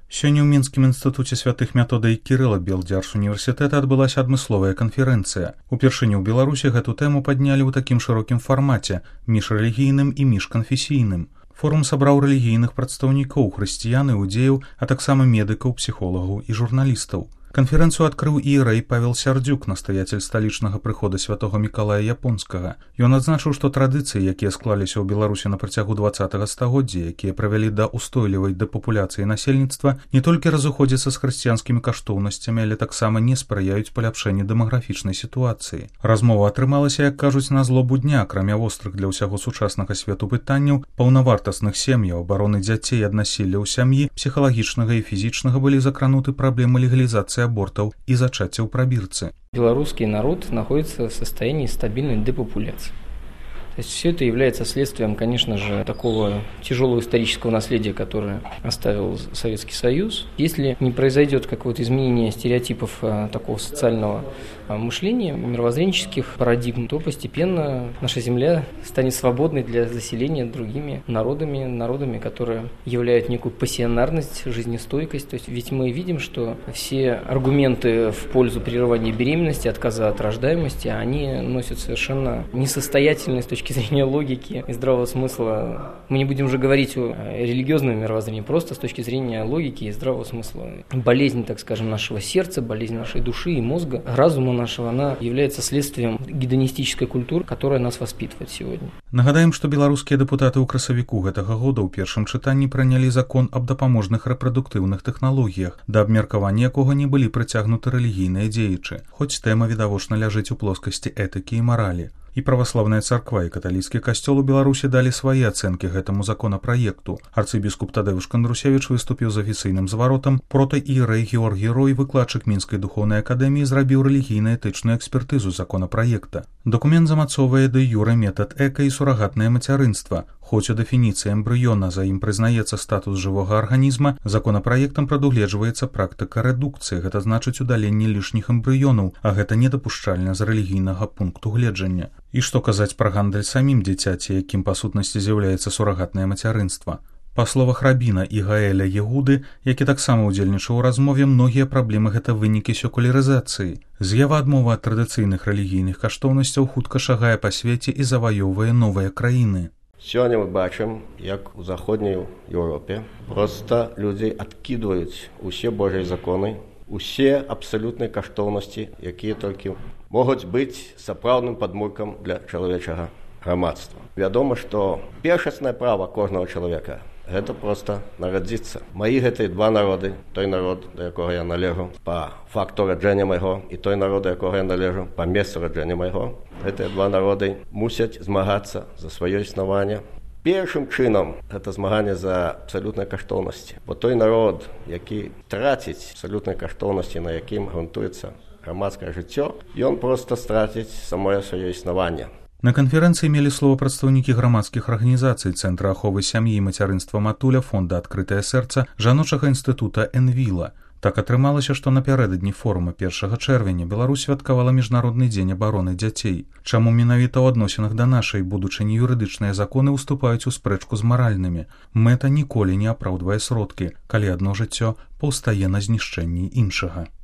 Сёння ў Мінскім інстытуце святых Метода і Кірыла Белдзяржуніверсітэта адбылася адмысловая канферэнцыя. Упершыню ў Беларусі гэту тэму паднялі ў такім шырокім фармаце, міжрэлігійным і міжканфесійным. Форум сабраў рэлігійных прадстаўнікоў, хрысціян і іудзеяў, а таксама медыкаў, псіхолагаў і журналістаў. Канферэнцыю адкрыў іерэй Павел Сярдзюк, настаяцель сталічнага прыхода святога Мікалая Японскага. Ён адзначыў, што традыцыі, якія склаліся ў Беларусі на працягу 20-га стагоддзя, якія правялі да устойлівай дэпапуляцыі насельніцтва, не толькі разыходзяцца з хрысціянскімі каштоўнасцямі, але таксама не спрыяюць паляпшэнню дэмаграфічнай сітуацыі. Размова атрымалася, як кажуць, на злобу дня, акрамя вострых для ўсяго сучаснага свету пытанняў, паўнавартасных сем'яў, абароны дзяцей ад насілля ў сям'і, псіхалагічнага і фізічнага былі закрануты праблемы легалізацыі абортов и зачатия в пробирце. Белорусский народ находится в состоянии стабильной депопуляции. То есть все это является следствием, конечно же, такого тяжелого исторического наследия, которое оставил Советский Союз. Если не произойдет какое-то изменение стереотипов такого социального мышления, мировоззренческих парадигм, то постепенно наша земля станет свободной для заселения другими народами, которые являют некую пассионарность, жизнестойкость. То есть ведь мы видим, что все аргументы в пользу прерывания беременности, отказа от рождаемости, они носят совершенно несостоятельные с точки зрения логики и здравого смысла. Мы не будем уже говорить о религиозном мировоззрении, просто с точки зрения логики и здравого смысла. Болезнь, так скажем, нашего сердца, болезнь нашей души и мозга, разума нашего, она является следствием гедонистической культуры, которая нас воспитывает сегодня. Нагадаем, што беларускія дэпутаты ў красавіку гэтага года ў першым чытанні прынялі закон аб дапаможных рэпрадуктыўных тэхналогіях, да абмеркавання якога не былі прыцягнуты рэлігійныя дзеячы, хоць тэма відавочна ляжыць у плоскасці этыкі і маралі. І праваслаўная царква і каталіцкі касцёл у Беларусі далі свае ацэнкі гэтаму законапраекту. Арцыбіскуп Тадэвуш Кандрусевіч выступіў з афіцыйным зваротам, прота-іерэй Георгій Рой, выкладчык Мінскай духоўнай акадэміі, зрабіў рэлігійна-этычную экспертызу законапраекта. Дакумент замацоўвае дэ-юрэ метад эка і сурагатнае мацярынства. Хоць у дэфініцыі эмбрыёна за ім прызнаецца статус жывога арганізма, законапраектам прадугледжваецца практыка рэдукцыі, гэта значыць удаленне лішніх эмбрыёнаў, а гэта недапушчальна з рэлігійнага пункту гледжання. І што казаць пра гандаль самім дзіцяці, якім па сутнасці з'яўляецца сурагатнае мацярынства. Па словах рабіна і Гаэля Егуды, які таксама ўдзельнічаў у размове, многія праблемы гэта вынікі секулярызацыі. З'ява адмовы ад традыцыйных рэлігійных каштоўнасцяў хутка шагае па свеце і заваёўвае новыя краіны. Сёння мы бачым, як у заходняй Еўропе проста людзі адкідваюць усе божыя законы, усе абсалютныя каштоўнасці, якія толькі могуць быць сапраўдным падмуркам для чалавечага грамадства. Вядома, што першаснае права кожнага чалавека – гэта проста нарадзіцца. Маі гэтыя два народы, той народ, да якога я належу па факту раджэння майго, і той народ, да якога я належу па месцу раджэння майго, гэтыя два народы мусяць змагацца за сваё існаванне. Першым чынам гэта змаганне за абсалютныя каштоўнасці, бо той народ, які траціць абсалютныя каштоўнасці, на якім грунтуецца грамадскае жыццё, ён проста страціць самое сваё існаванне. На канферэнцыі мелі слова прадстаўнікі грамадскіх арганізацый, Цэнтра аховы сям'і і мацярынства Матуля, Фонда «Адкрытае сэрца», жаночага інстытута «Энвіла». Так атрымалася, што напярэдадні форума 1 чэрвеня Беларусь святкавала Міжнародны дзень абароны дзяцей. Чаму менавіта ў адносінах да нашай будучыні юрыдычныя законы ўступаюць у спрэчку з маральнымі? Мэта ніколі не апраўдвае сродкі, калі адно жыццё паўстае на знішчэнні іншага.